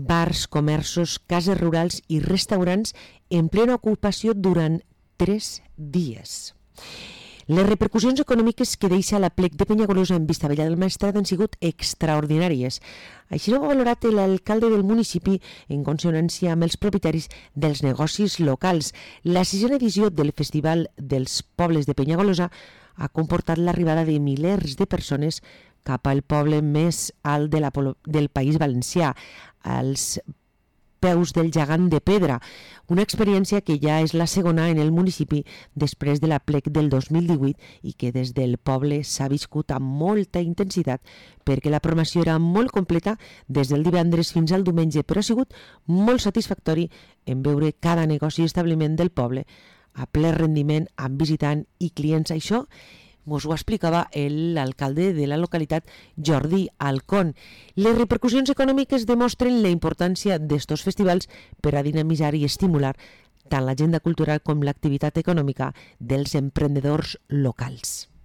bars, comerços, cases rurals i restaurants en plena ocupació durant 3 dies. Les repercussions econòmiques que deixa l'aplec de Penyagolosa en Vistabella del Maestrat han sigut extraordinàries. Així ho ha valorat l'alcalde del municipi en consonància amb els propietaris dels negocis locals. La 6a edició del Festival dels Pobles de Penyagolosa ha comportat l'arribada de milers de persones cap al poble més alt del País Valencià, als peus del gegant de pedra, una experiència que ja és la segona en el municipi després de l'aplec del 2018 i que des del poble s'ha viscut amb molta intensitat perquè la programació era molt completa des del divendres fins al diumenge, però ha sigut molt satisfactori en veure cada negoci i establiment del poble a ple rendiment amb visitant i clients. Això us ho explicava l'alcalde de la localitat, Jordi Alcón. Les repercussions econòmiques demostren la importància d'estos festivals per a dinamitzar i estimular tant l'agenda cultural com l'activitat econòmica dels emprenedors locals.